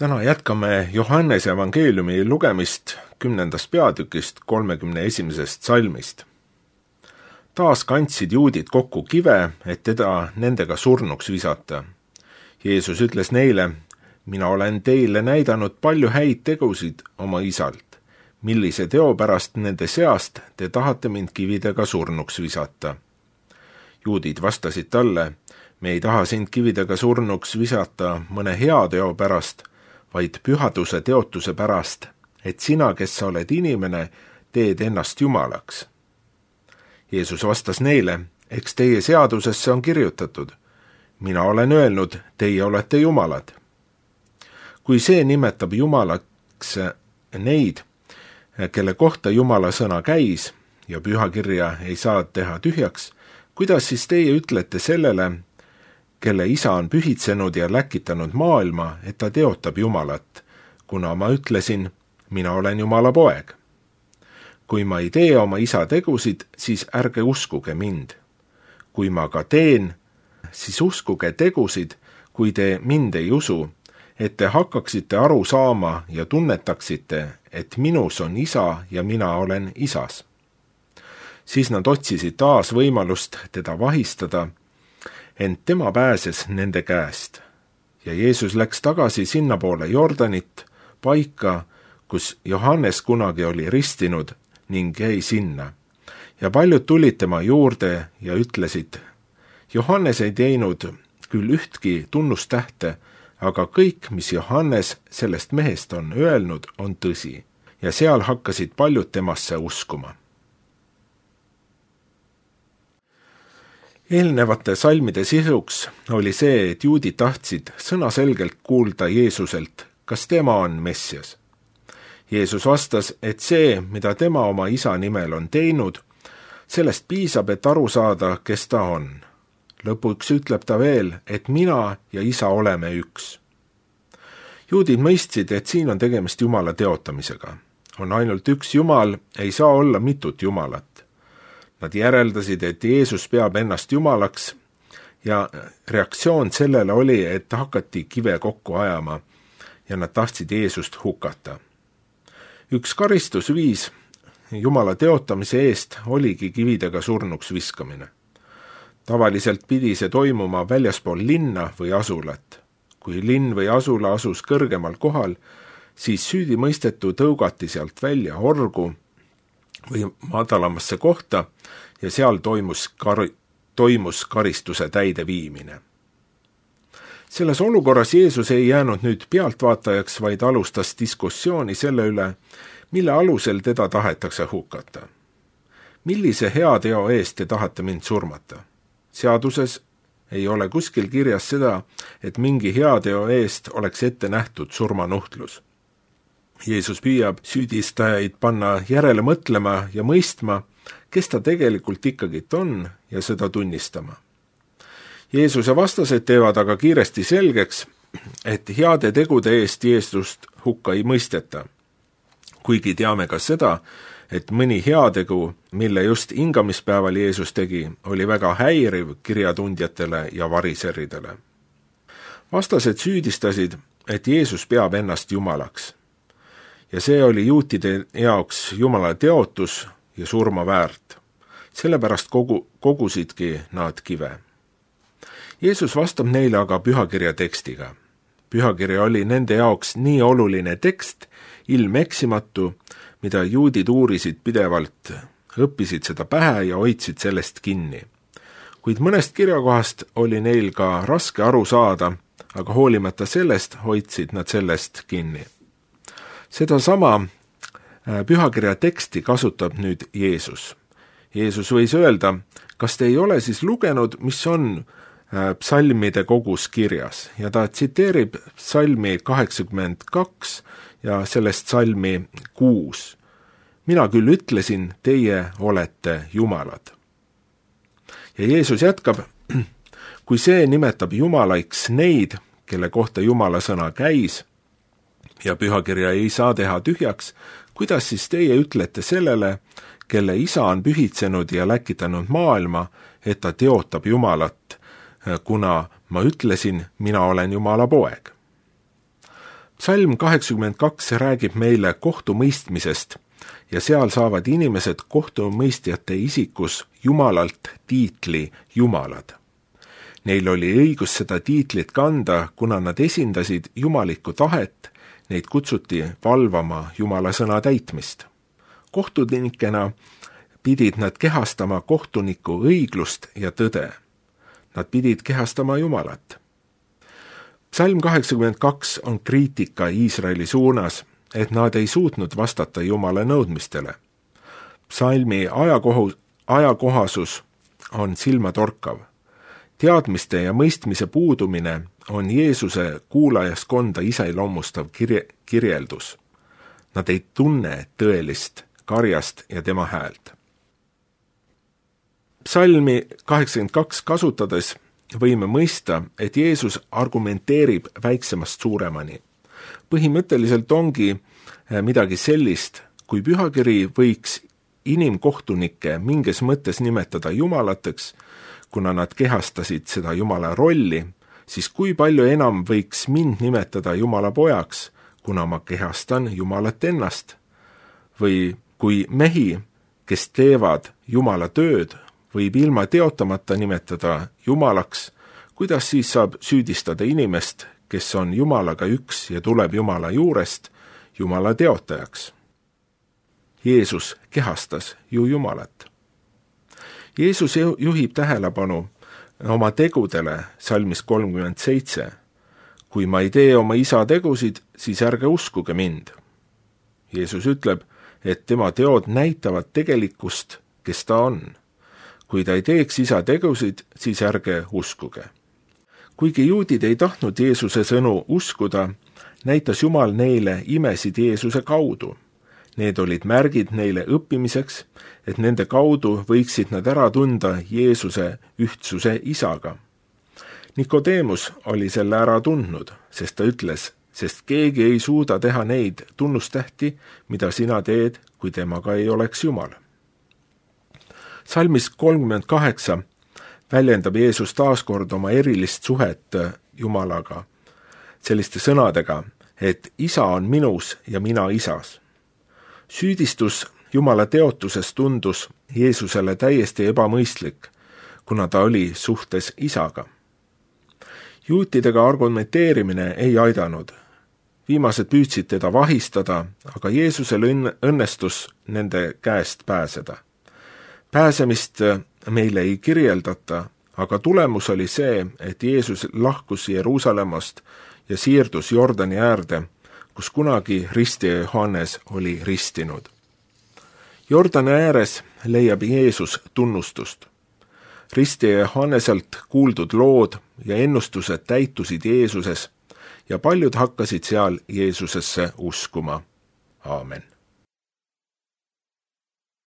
Täna jätkame Johannese evangeeliumi lugemist 10. peatükist 31. salmist. Taas kandsid juudid kokku kive, et teda nendega surnuks visata. Jeesus ütles neile, mina olen teile näidanud palju häid tegusid oma isalt. Millise teo pärast nende seast te tahate mind kividega surnuks visata? Juudid vastasid talle, me ei taha sind kividega surnuks visata mõne hea teo pärast, vaid pühaduse teotuse pärast, et sina, kes sa oled inimene, teed ennast jumalaks. Jeesus vastas neile, eks teie seadusesse on kirjutatud. Mina olen öelnud, teie olete jumalad. Kui see nimetab jumalaks neid, kelle kohta Jumala sõna käis ja pühakirja ei saa teha tühjaks, kuidas siis teie ütlete sellele, kelle isa on pühitsenud ja läkitanud maailma, et ta teotab Jumalat, kuna ma ütlesin, mina olen Jumala poeg. Kui ma ei tee oma isa tegusid, siis ärge uskuge mind. Kui ma ka teen, siis uskuge tegusid, kui te mind ei usu, et te hakkaksite aru saama ja tunnetaksite, et minus on isa ja mina olen isas. Siis nad otsisid taas võimalust teda vahistada, ent tema pääses nende käest. Ja Jeesus läks tagasi sinnapoole Jordanit, paika, kus Johannes kunagi oli ristinud ning jäi sinna. Ja paljud tulid tema juurde ja ütlesid, Johannes ei teinud küll ühtki tunnustähte, aga kõik, mis Johannes sellest mehest on öelnud, on tõsi. Ja seal hakkasid paljud temasse uskuma. Eelnevate salmide sisuks oli see, et juudid tahtsid sõnaselgelt kuulda Jeesuselt, kas tema on Messias. Jeesus vastas, et see, mida tema oma isa nimel on teinud, sellest piisab, et aru saada, kes ta on. Lõpuks ütleb ta veel, et mina ja isa oleme üks. Juudid mõistsid, et siin on tegemist Jumala teotamisega. On ainult üks Jumal, ei saa olla mitut Jumalat. Nad järeldasid, et Jeesus peab ennast jumalaks ja reaktsioon sellele oli, et hakati kive kokku ajama ja nad tahtsid Jeesust hukata. Üks karistusviis Jumala teotamise eest oligi kividega surnuks viskamine. Tavaliselt pidi see toimuma väljaspool linna või asulat. Kui linn või asula asus kõrgemal kohal, siis süüdimõistetu tõugati sealt välja orgu või madalamasse kohta ja seal toimus karistuse täideviimine. Selles olukorras Jeesus ei jäänud nüüd pealtvaatajaks, vaid alustas diskussiooni selle üle, mille alusel teda tahetakse hukata. Millise hea teo eest te tahate mind surmata? Seaduses ei ole kuskil kirjas seda, et mingi hea teo eest oleks ette nähtud surmanuhtlus. Jeesus püüab süüdistajaid panna järele mõtlema ja mõistma, kes ta tegelikult ikkagi on ja seda tunnistama. Jeesuse vastased teevad aga kiiresti selgeks, et heade tegude eest Jeesust hukka ei mõisteta. Kuigi teame ka seda, et mõni heategu, mille just hingamispäeval Jeesus tegi, oli väga häiriv kirjatundjatele ja variseridele. Vastased süüdistasid, et Jeesus peab ennast jumalaks. Ja see oli juutide jaoks Jumala teotus ja surma väärt. Sellepärast kogusidki nad kive. Jeesus vastab neile aga pühakirja tekstiga. Pühakirja oli nende jaoks nii oluline tekst, ilmeksimatu, mida juudid uurisid pidevalt, õppisid seda pähe ja hoidsid sellest kinni. Kuid mõnest kirjakohast oli neil ka raske aru saada, aga hoolimata sellest hoidsid nad sellest kinni. Sedasama pühakirja teksti kasutab nüüd Jeesus. Jeesus võis öelda, kas te ei ole siis lugenud, mis on psalmide kogus kirjas, ja ta tsiteerib psalmi 82 ja sellest psalmi 6. Mina küll ütlesin, teie olete jumalad. Ja Jeesus jätkab, kui see nimetab jumalaiks neid, kelle kohta Jumala sõna käis, ja pühakirja ei saa teha tühjaks, kuidas siis teie ütlete sellele, kelle isa on pühitsenud ja läkitanud maailma, et ta teotab Jumalat, kuna ma ütlesin, mina olen Jumala poeg. Psalm 82 räägib meile kohtumõistmisest ja seal saavad inimesed kohtumõistjate isikus Jumalalt tiitli Jumalad. Neil oli õigus seda tiitlit kanda, kuna nad esindasid jumalikku tahet, neid kutsuti valvama Jumala sõna täitmist. Kohtunikena pidid nad kehastama kohtuniku õiglust ja tõde. Nad pidid kehastama Jumalat. Psalm 82 on kriitika Iisraeli suunas, et nad ei suutnud vastata Jumala nõudmistele. Psalmi ajakohasus on silmatorkav. Teadmiste ja mõistmise puudumine on Jeesuse kuulajaskonda iseloomustav kirjeldus. Nad ei tunne tõelist karjast ja tema häält. Psalmi 82 kasutades võime mõista, et Jeesus argumenteerib väiksemast suuremani. Põhimõtteliselt ongi midagi sellist, kui pühakiri võiks inimkohtunikke mingis mõttes nimetada jumalateks, kuna nad kehastasid seda Jumala rolli, siis kui palju enam võiks mind nimetada Jumala pojaks, kuna ma kehastan Jumalat ennast? Või kui mehi, kes teevad Jumala tööd, võib ilma teotamata nimetada Jumalaks, kuidas siis saab süüdistada inimest, kes on Jumalaga üks ja tuleb Jumala juurest, Jumala teotajaks? Jeesus kehastas ju Jumalat. Jeesus juhib tähelepanu oma tegudele salmis 37. Kui ma ei tee oma isa tegusid, siis ärge uskuge mind. Jeesus ütleb, et tema teod näitavad tegelikkust, kes ta on. Kui ta ei teeks isa tegusid, siis ärge uskuge. Kuigi juudid ei tahtnud Jeesuse sõnu uskuda, näitas Jumal neile imesid Jeesuse kaudu. Need olid märgid neile õppimiseks, et nende kaudu võiksid nad ära tunda Jeesuse ühtsuse isaga. Nikodemus oli selle ära tundnud, sest ta ütles, sest keegi ei suuda teha neid tunnustähti, mida sina teed, kui temaga ei oleks Jumal. Salmis 38 väljendab Jeesus taaskord oma erilist suhet Jumalaga selliste sõnadega, et isa on minus ja mina isas. Süüdistus Jumala teotuses tundus Jeesusele täiesti ebamõistlik, kuna ta oli suhtes isaga. Juutidega argumenteerimine ei aidanud. Viimased püüdsid teda vahistada, aga Jeesusel õnnestus nende käest pääseda. Pääsemist meile ei kirjeldata, aga tulemus oli see, et Jeesus lahkus Jeruusalemmast ja siirdus Jordani äärde, kus kunagi ristija Johannes oli ristinud. Jordani ääres leiab Jeesus tunnustust. Ristija Johanneselt kuuldud lood ja ennustused täitusid Jeesuses ja paljud hakkasid seal Jeesusesse uskuma. Aamen.